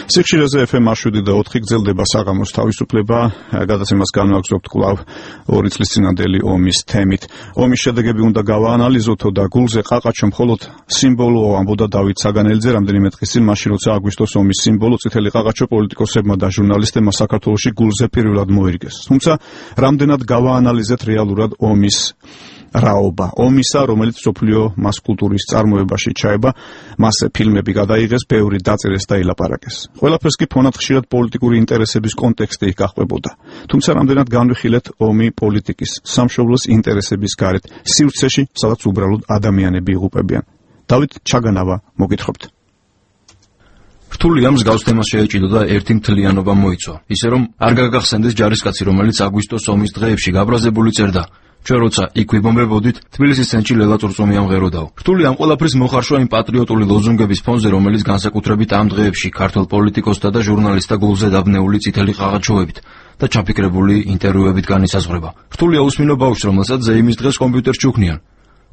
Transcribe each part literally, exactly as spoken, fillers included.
სიხშირეზე ეფ ემ შვიდი და ოთხი გრძელდება საღამოს თავისუფლება, გადაცემას განვაგრძობთ კვლავ ორი წლის წინანდელი ომის თემით. ომის შედეგები უნდა გავაანალიზოთო და გულზე ყაყაჩო მხოლოდ სიმბოლოა, ამბობდა დავით საგანელიძე რამდენიმე დღის წინ, მაშინ როცა აგვისტოს ომის სიმბოლო წითელი ყაყაჩო პოლიტიკოსებმა და ჟურნალისტებმა საქართველოში გულზე პირველად მოირგეს. თუმცა რამდენად გავაანალიზეთ რეალურად ომის რაობა, ომისა, რომელიც მსოფლიო მას კულტურის წარმოებაში ჩაება, მასზე ფილმები გადაიღეს, ბევრი დაწერეს და ილაპარაკეს. ყველაფერს კი ფონად ხშირად პოლიტიკური ინტერესების კონტექსტი გაყვებოდა. თუმცა რამდენად განვიხილეთ ომი პოლიტიკის, სამშობლოს ინტერესების გარეთ, სივრცეში, სადაც უბრალოდ ადამიანები იღუპებიან. დავით ჩაგანავა, მოგითხრობთ. რთულია მსგავს თემას შეეჭიდოდა ერთი მთლიანობა მოიცვა, ისე რომ არ გაგახსენდეს ჯარისკაცი, რომელიც აგვისტოს ომის დღეებში გაბრაზებული წერდა. ჩვენ როცა იქ ვიბომბებოდით, თბილისის ცენტრში ლელა წურწუმი ამღეროდაო. რთული ამ ყველაფრის მოხარშვა იმ პატრიოტული ლოზუნგების ფონზე, რომელიც განსაკუთრებით ამ დღეებში ქართველ პოლიტიკოსთა და ჟურნალისტთა გულზე დაბნეული წითელი ყაყაჩოებით და ჩაფიქრებული ინტერვიუებით განისაზღვრება. რთულია უსმინო ბავშვს, რომელსაც ზეიმის დღეს კომპიუტერს ჩუქნიან.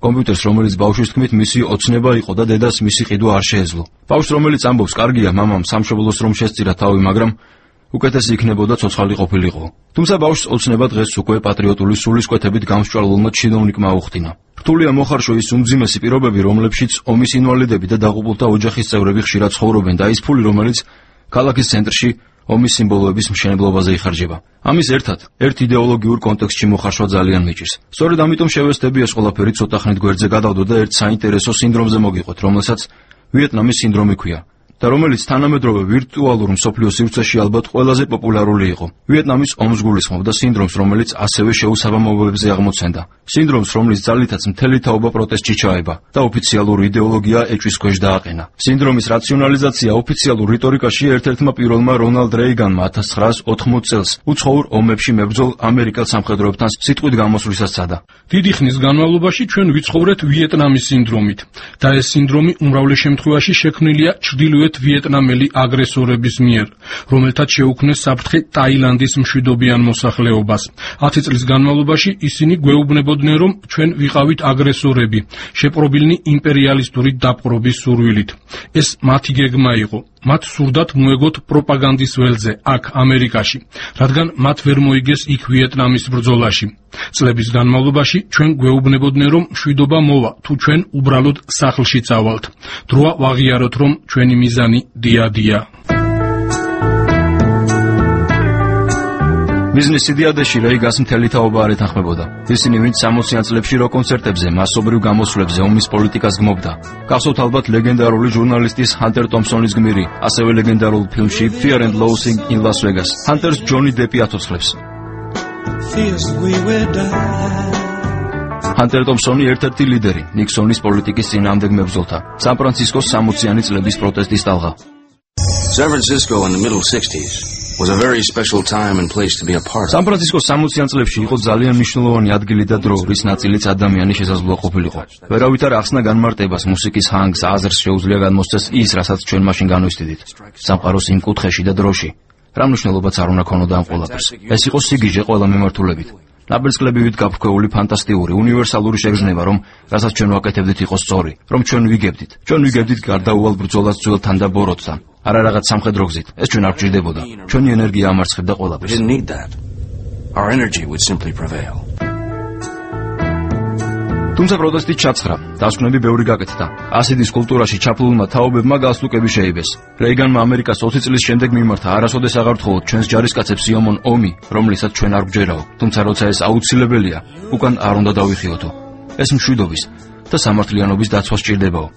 კომპიუტერს, რომელიც ბავშვის თქმით მისი ოცნება იყო და დედას მისი ყიდვა არ შეეძლო. ბავშვს, რომელიც ამბობს, კარგია, მამამ სამშობლოს რომ შესწირა თავი, მაგრამ უკეთესი იქნებოდა ცოცხალი ყოფილიყო. თუმცა ბავშვს ოცნება დღეს უკვე პატრიოტული სულისკვეთებით გამსჭვალულმა ჩინოვნიკმა აუხტინა. რთულია მოხარშვა ის უმძიმესი პირობები, რომლებშიც ომის ინვალიდები და დაღუპულთა ოჯახის წევრები ხშირად ცხოვრობენ და ის ფული, რომელიც ქალაქის ცენტრში ომის სიმბოლოების მშენებლობაზე იხარჯება. ამის ერთად, ერთ იდეოლოგიურ კონტექსტში მოხარშვა ძალიან მიჭირს. სწორედ ამიტომ შევესწრები ეს ყველაფერი ცოტა ხნით გვერდზე გადავდო და ერთ საინტერესო სინდრომზე მოგიყვეთ, რომელსაც ვიეტნამის სინდრომი ქვია. და რომელიც თანამედროვე ვირტუალურ მსოფლიო სივრცეში ალბათ ყველაზე პოპულარული იყო. ვიეტნამის ომს გულისხმობდა სინდრომს, რომელიც ასევე შეუსაბამობებზე აღმოცენდა. სინდრომს, რომლის ძალითაც მთელი თაობა პროტესტში ჩაება და ოფიციალური იდეოლოგია ეჭვის ქვეშ დააყენა. სინდრომის რაციონალიზაცია ოფიციალურ რიტორიკაში ერთ-ერთმა პირველმა რონალდ რეიგანმა ათას ცხრაას ოთხმოცი წელს უცხოურ ომებში მებრძოლ ამერიკელ სამხედროებთან სიტყვით გამოსვლისას სცადა. დიდი ხნის განმავლობაში ჩვენ ვიცხოვრეთ ვიეტნამის სინდრომით და ეს სინდრომი უმრავლეს შემთხვევაში შექმნილია ჩრდილოეთ ვიეტნამელი აგრესორების მიერ, რომელთაც შეუქმნეს საფრთხე ტაილანდის მშვიდობიან მოსახლეობას. ათი წლის განმავლობაში ისინი გვეუბნებოდნენ, რომ ჩვენ ვიყავით აგრესორები, შეპყრობილნი იმპერიალისტური დაპყრობის სურვილით. ეს მათი გეგმა იყო. მათ სურდათ მოეგოთ პროპაგანდის ველზე აქ ამერიკაში, რადგან მათ ვერ მოიგეს იქ ვიეტნამის ბრძოლაში. წლების განმავლობაში ჩვენ გვეუბნებოდნენ, რომ მშვიდობა მოვა, თუ ჩვენ უბრალოდ სახლში წავალთ. დროა ვაღიაროთ, რომ ჩვენი მიზანი დიადია. ბიზნეს იდეადეში რეიგას მთელი თაობა არ ეთანხმებოდა. ისინი, ვინც სამოციან წლებში როკ კონცერტებზე, მასობრივ გამოსვლებზე ომის პოლიტიკას გმობდა. გახსოვთ ალბათ ლეგენდარული ჟურნალისტის ჰანტერ ტომპსონის გმირი, ასევე ლეგენდარულ ფილმში Fear and Loathing in Las Vegas. ჰანტერს ჯონი დეპი ათოცხლებს. ჰანტერ ტომპსონი ერთ-ერთი ლიდერი ნიქსონის პოლიტიკის წინააღმდეგ მებრძოლთა. სან-ფრანცისკოს სამოციანი წლების პროტესტის ტალღა. San Francisco in the middle sixties was a very special time and place to be a part of. სან-ფრანცისკოს სამოციან წლებში იყო ძალიან მნიშვნელოვანი ადგილი და დრო, რის ნაწილიც ადამიანის შესაძლოა ყოფილიყო. ვერავით არ ახსნა განმარტებას, მუსიკის ჰანგს, აზრს შეუძლია განმოსცეს ის, რასაც ჩვენ მაშინ განვისტიდით. სამყაროს იმ კუთხეში და დროში. რა მნიშვნელობაც არ უნდა ქონოდა ამ ყველაფერს. ეს იყო სიგიჟე ყველა მიმართულებით. ნაბერწკლებივით გაფრქვეული ფანტასტიკური, უნივერსალური შეგრძნება, რომ რასაც ჩვენ ვაკეთებდით იყო სწორი, რომ ჩვენ ვიგებდით. ჩვენ ვიგებდით გარდაუვალ ბრძოლას ძველთან და ბოროტთან. არა რაღაც სამხედრო გზით. ეს ჩვენ არ გჭირდებოდა. ჩვენი ენერგია ამარცხებდა ყველაფერს. Our energy would simply prevail. თუმცა პროტესტი ჩაცხრა, დასკვნები ბევრი გაკეთდა. ასიდის კულტურაში ჩაფლულმა თაობებმა გასტუკები შეიბეს. რეიგანმა ამერიკას ოცი წლის შემდეგ მიმართა, არასოდეს აღარ თხოვოთ ჩვენს ჯარისკაცებს იომონ ომი, რომლისაც ჩვენ არ გვჯერაო. თუმცა როცა ეს აუცილებელია, უკან არ უნდა დავიხიოთო. ეს მშვიდობის და სამართლიანობის დაცვა სჭირდებაო.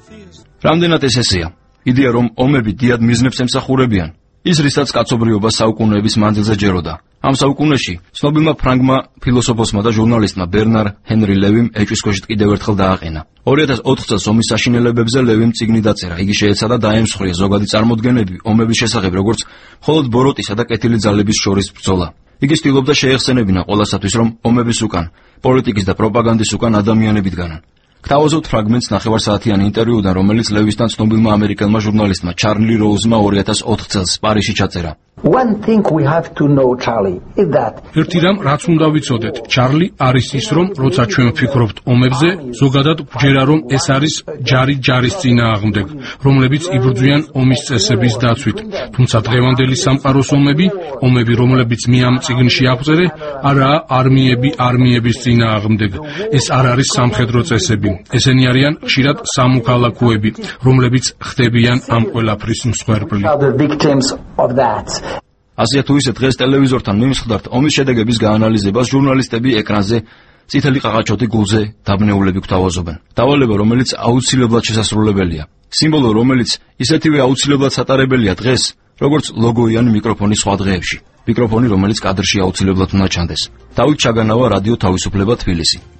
რამდენად ეს ესეა? იდეა, რომ ომები დიდ მიზნებს ემსახურებიან, ის რისაც კაცობრიობა საუკუნეების მანძილზე ჯეროდა. ამ საუკუნეში ცნობილმა ფრანგმა ფილოსოფოსმა და ჟურნალისტმა ბერნარ ჰენრი ლევიმ ეჭვის ქვეშ კიდევ ერთხელ დააყენა. ორი ათას ოთხ წელს ომის საშინელებებზე ლევიმ წიგნი დაწერა. იგი შეეცადა დაემსხვრია ზოგადი წარმოდგენები ომების შესახებ, როგორც მხოლოდ ბოროტისა და კეთილი ძალების შორის ბრძოლა. იგი ცდილობდა შეეხსენებინა ყველასათვის, რომ ომების უკან, პოლიტიკის და პროპაგანდის უკან ადამიანები დგანან. გთავაზობთ ფრაგმენტს ნახევარსაათიანი ინტერვიუდან, რომელიც ლევისთან ცნობილმა ამერიკელმა ჟურნალისტმა ჩარლი როუზმა ორი ათას ოთხ წელს პარიზში ჩაწერა. One thing we have to know, Charlie, is that ერთი რამ რაც უნდა ვიცოდეთ, ჩარლი არის ის, რომ როცა ჩვენ ვფიქრობთ ომებზე, ზოგადად გვჯერა რომ ეს არის ჯარი ჯარის წინააღმდეგ, რომლებიც იბრძვიან ომის წესების დაცვით. თუმცა დღევანდელი სამყაროს ომები, ომები, რომლებიც მე ამ წიგნში აღწერე, არაა არმიები არმიების წინააღმდეგ. ეს არ არის სამხედრო წესები. ესენი არიან ხშირად სამოქალაქოები, რომლებიც ხდებიან ამ ყველაფრის მსხვერპლი. the victims of that. ასეა თუ ისე დღეს ტელევიზორთან მიმსხვდართ ომის შედეგების გაანალიზებას ჟურნალისტები ეკრანზე წითელი ყაყაჩოთი გულზე დაბნეულები გვთავაზობენ. დავალება, რომელიც აუცილებლად შესასრულებელია. სიმბოლო, რომელიც ისეთივე აუცილებლად სატარებელია დღეს, როგორც ლოგოიანი მიკროფონი სხვა დღეებში. მიკროფონი, რომელიც კადრში აუცილებლად უნდა ჩანდეს. დავით ჩაგანავა, რადიო თავისუფლება, თბილისი.